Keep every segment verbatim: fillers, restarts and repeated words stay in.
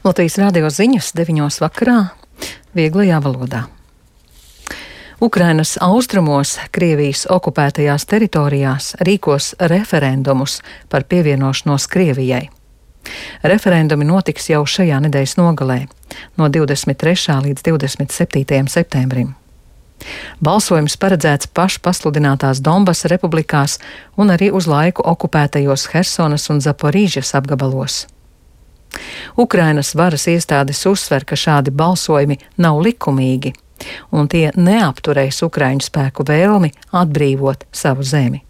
Latvijas radio ziņas deviņos vakarā vieglajā valodā. Ukrainas austrumos, Krievijas okupētajās teritorijās rīkos referendumus par pievienošanos Krievijai. Referendumi notiks jau šajā nedēļas nogalē, no divdesmit trešā līdz divdesmit septītajam septembrim. Balsojums paredzēts pašpasludinātās Donbasa republikās un arī uz laiku okupētajos Hersonas un Zaporīžas apgabalos. Ukrainas varas iestādes uzsver, ka šādi balsojumi nav likumīgi, un tie neapturēs Ukraiņu spēku vēlmi atbrīvot savu zemi.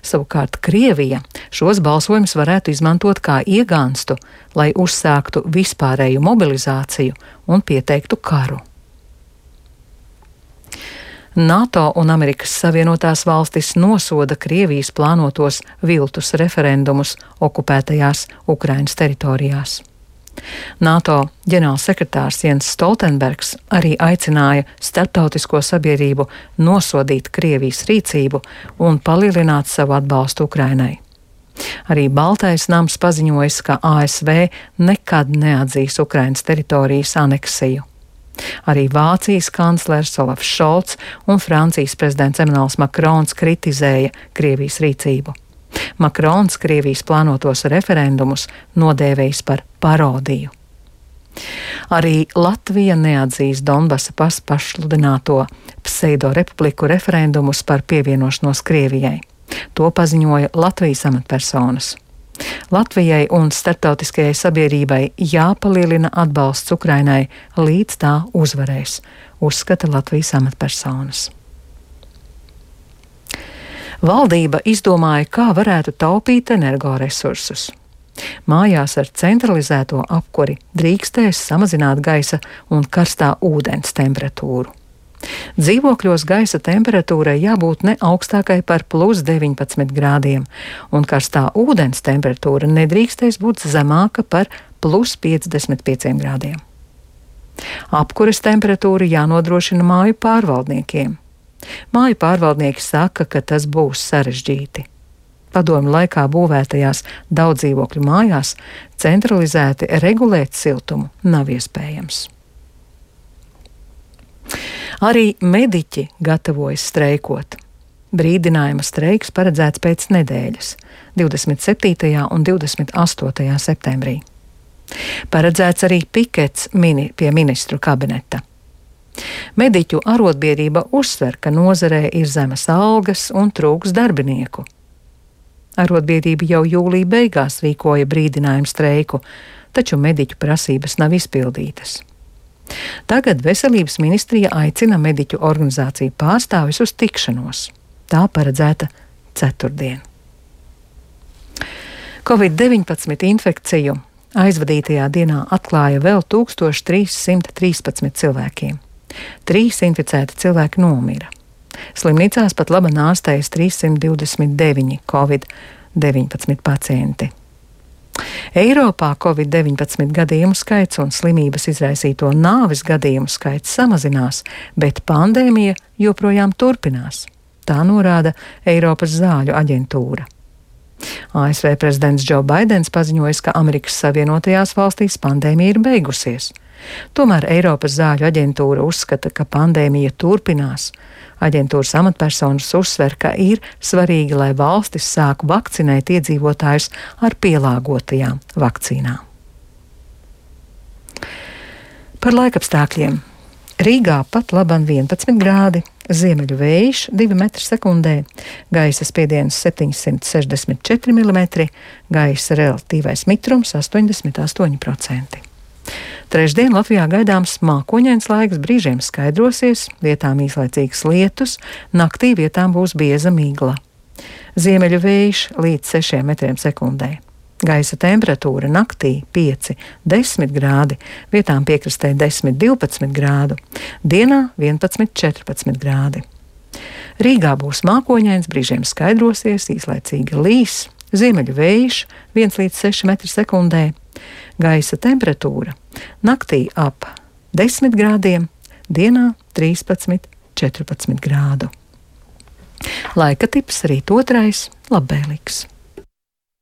Savukārt Krievija šos balsojumus varētu izmantot kā iegānstu, lai uzsāktu vispārēju mobilizāciju un pieteiktu karu. NATO un Amerikas Savienotās valstis nosoda Krievijas plānotos viltus referendumus okupētajās Ukrainas teritorijās. NATO ģenerālsekretārs Jens Stoltenbergs arī aicināja starptautisko sabiedrību nosodīt Krievijas rīcību un palielināt savu atbalstu Ukrainai. Arī Baltais nams paziņojis, ka A S V nekad neatzīs Ukrainas teritorijas aneksiju. Arī Vācijas kanclers Olafs Šolts un Francijas prezidents Emmanuels Makrons kritizēja Krievijas rīcību. Makrons Krievijas plānotos referendumus nodēvējis par parodiju. Arī Latvija neatzīs Donbasa pašpasludināto pseidorepubliku referendumus par pievienošanos Krievijai. To paziņoja Latvijas amatpersonas. Latvijai un starptautiskajai sabiedrībai jāpalielina atbalsts Ukrainai, līdz tā uzvarēs, uzskata Latvijas amatpersonas. Valdība izdomāja, kā varētu taupīt energoresursus. Mājās ar centralizēto apkuri drīkstēs samazināt gaisa un karstā ūdens temperatūru. Dzīvokļos gaisa temperatūrai jābūt ne augstākai par plus deviņpadsmit grādiem, un karstā ūdens temperatūra nedrīkstēs būt zemāka par plus piecdesmit pieciem grādiem. Apkures temperatūra jānodrošina māju pārvaldniekiem. Māju pārvaldnieki saka, ka tas būs sarežģīti. Padomju laikā būvētajās daudzdzīvokļu mājās centralizēti regulēt siltumu nav iespējams. Arī mediķi gatavojas streikot. Brīdinājuma streiks paredzēts pēc nedēļas, divdesmit septītajā un divdesmit astotajā septembrī. Paredzēts arī pikets mini pie ministru kabineta. Mediķu arotbiedrība uzsver, ka nozarē ir zemas algas un trūks darbinieku. Arotbiedrība jau jūlija beigās rīkoja brīdinājumu streiku, taču mediķu prasības nav izpildītas. Tagad Veselības ministrija aicina mediķu organizāciju pārstāvis uz tikšanos. Tā paredzēta ceturtdien. covid deviņpadsmit infekciju aizvadītajā dienā atklāja vēl tūkstoš trīs simti trīspadsmit cilvēkiem. Trīs inficēti cilvēki nomira. Slimnīcās pat labi ārstējas trīs simti divdesmit deviņi covid deviņpadsmit pacienti. Eiropā covid deviņpadsmit gadījumu skaits un slimības izraisīto nāves gadījumu skaits samazinās, bet pandēmija joprojām turpinās. Tā norāda Eiropas zāļu aģentūra. A S V prezidents Džo Baidens paziņojis, ka Amerikas Savienotajās valstīs pandēmija ir beigusies. Tomēr Eiropas zāļu aģentūra uzskata, ka pandēmija turpinās. Aģentūras amatpersonas uzsver, ka ir svarīgi, lai valstis sāku vakcinēt iedzīvotājus ar pielāgotajām vakcīnām. Par laikapstākļiem. Rīgā pat laban vienpadsmit grādi, ziemeļu vējš divi metri sekundē, gaisa spiediens septiņsimt sešdesmit četri milimetri, gaisa relatīvais mitrums astoņdesmit astoņi procenti. Trešdien Latvijā gaidāms mākoņains laiks, brīžiem skaidrosies, vietām īslaicīgs lietus, naktī vietām būs bieza migla. Ziemeļu vējš līdz sešiem metriem sekundē. Gaisa temperatūra naktī pieci līdz desmit grādi, vietām piekrastē desmit līdz divpadsmit grādu, dienā vienpadsmit līdz četrpadsmit grādi. Rīgā būs mākoņains, brīžiem skaidrosies, īslaicīgi līs, ziemeļu vējš viens līdz seši metri sekundē. Gaisa temperatūra naktī ap desmit grādiem, dienā trīspadsmit līdz četrpadsmit grādu. Laika tips rīt otrais labvēlīgs.